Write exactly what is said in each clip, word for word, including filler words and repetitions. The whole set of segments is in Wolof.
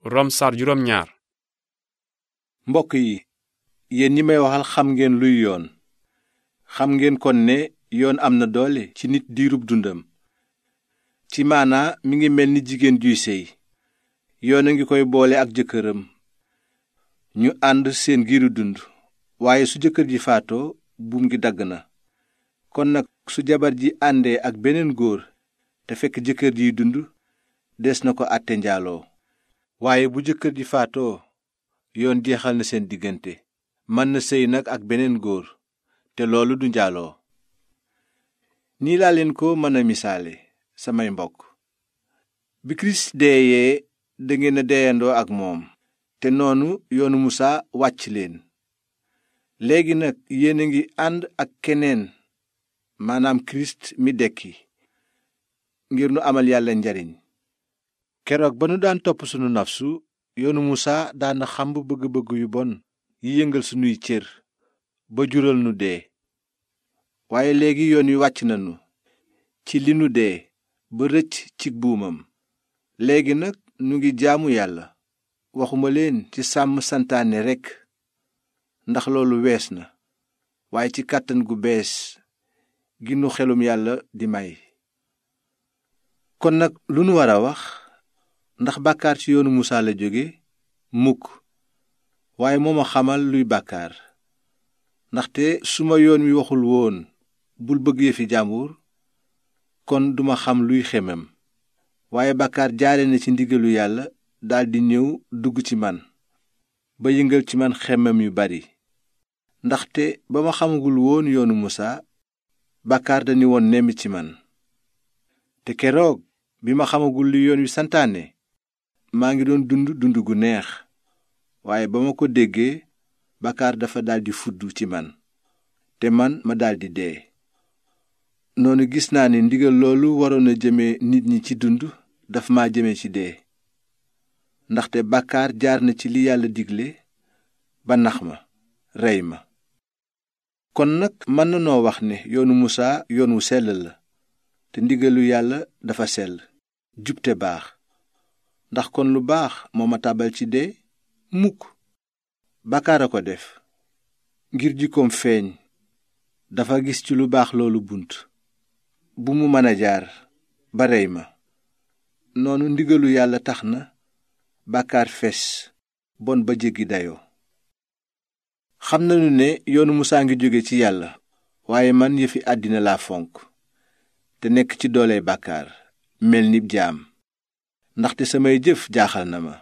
rom sar juróom ñaar. mbokk yi yéen ñi may waxal xam ngeen luy yoon xam ngeen kon ne yoon am na doole ci nit diirub dundam. ci maanaa mi ngi mel ni jigéen juy séy yoon a ngi koy boole ak jëkkëram ñu ànd seen giiru dund, waaye su jëkkër ji faatoo buum gi dagg na. kon nag su jabar ji àndee ak beneen góor te fekk jëkkër jiy dund, des na ko àtte njaaloo. waaye bu jëkkër ji faatoo yoon jeexal na seen diggante, mën na séy nag ak beneen góor te loolu du njaaloo. nii laa leen ko mën a misaale samay mbokk. bi kirist deeyee dangeen a deyandoo ak moom, te noonu yoonu musaa wàcc leen. léegi nag yéen a ngi ànd ak keneen, maanaam kirist mi dekki, ngir nu amal yàlla njariñ. keroog ba nu daan topp sunu nafsu, yoonu musaa daana xamb bëgg-bëgg yu bon yi yëngal sunuy cër ba jural nu dee. waaye léegi yoon wi wàcc nanu ci li nu dee ba rëcc ci buumam. léegi nag nu ngi jaamu yàlla, waxuma leen ci sàmm santaane rekk, ndax loolu wees na, waaye ci kàttan gu bees gi nu xelum yàlla di may. kon nag lu nu war a wax? ndax bàkkaar ci yoonu musaa la jóge? mukk. waaye moo ma xamal luy bàkkaar. ndaxte su ma yoon wi waxul woon bul bëgg yëfi jàmbur, kon duma xam luy xemem. waaye bàkkaar jaare na ci ndigalu yàlla daldi ñëw dugg ci man, ba yëngal ci man xemem yu bari. ndaxte ba ma xamagul woon yoonu musaa, bàkkaar dañu woon nemmi ci man. te keroog bi ma xamagul li yoon wi santaane, maa ngi doon dund dund gu neex. waaye ba ma ko déggee, bàkkaar dafa daldi fudd ci man, te man ma daldi dee. noonu gis naa ni ndigal loolu waroon a jëme nit ñi ci dund daf ma jëme ci dee. ndaxte bàkkaar jaar na ci li yàlla digle ba nax ma, rey ma. kon nag mën na noo wax ne yoonu musaa yoon wu sell la, te ndigalu yàlla dafa sell, jub te baax. ndax kon lu baax moo ma tàbbal ci dee? mukk. bàkkaar a ko def, ngir jikkoom feeñ, dafa gis ci lu baax loolu bunt bu mu mën a jaar ba rey ma. noonu ndigalu yàlla tax na bàkkaar fes bon ba jéggi dayoo. xam nañu ne yoonu musaa ngi jóge ci yàlla, waaye man yëfi àddina laa fonk, te nekk ci doole bàkkaar, mel ni jaam. ndaxte samay jëf jaaxal na ma.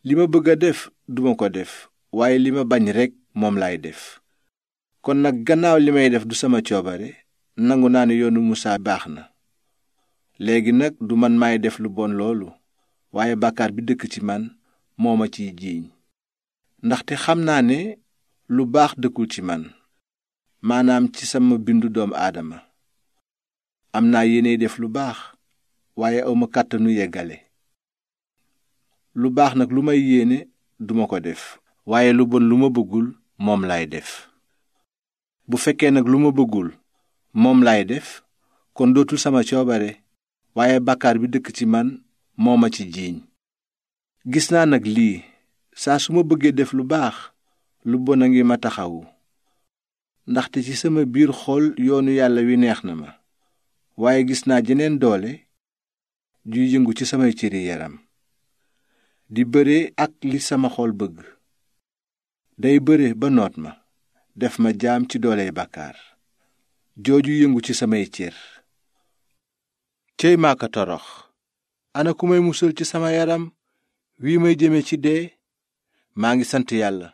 li ma bëgg a def duma ko def, waaye li ma bañ rekk moom laay def. kon nag gannaaw li may def du sama coobare, nangu naa ne yoonu musaa baax na. léegi nag du man maay def lu bon loolu, waaye bàkkaar bi dëkk ci man moo ma ciy jiiñ. ndaxte xam naa ne lu baax dëkkul ci man, maanaam ci sama bindu doomu aadama. am naa yéene def lu baax, waaye awma kàttanu yeggale. lu baax nag lu may yéene duma ko def, waaye lu bon lu ma bëggul moom laay def. bu fekkee nag lu ma bëggul moom laay def, kon dootul sama coobare, waaye bàkkaar bi dëkk ci man moo ma ci jiiñ. gis naa nag lii, saa su ma bëggee def lu baax, lu bon a ngi ma taxawu. ndaxte ci sama biir xol yoonu yàlla wi neex na ma, waaye gis naa jeneen doole juy yëngu ci samay cëri yaram, di bëre ak li sama xol bëgg. day bëre ba noot ma, def ma jaam ci dooley bàkkaar jooju yëngu ci samay cër. cey maaka torox! ana ku may musal ci sama yaram wii may jëme ci dee? maa ngi sant yàlla,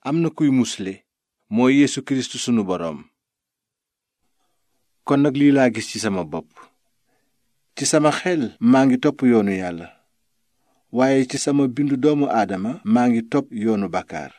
am na kuy musle, mooy Yeesu Kirist sunu boroom. kon nag lii laa gis ci sama bopp. ci sama xel maa ngi topp yoonu yàlla, waaye ci sama bindu doomu aadama maa ngi topp yoonu bàkkaar.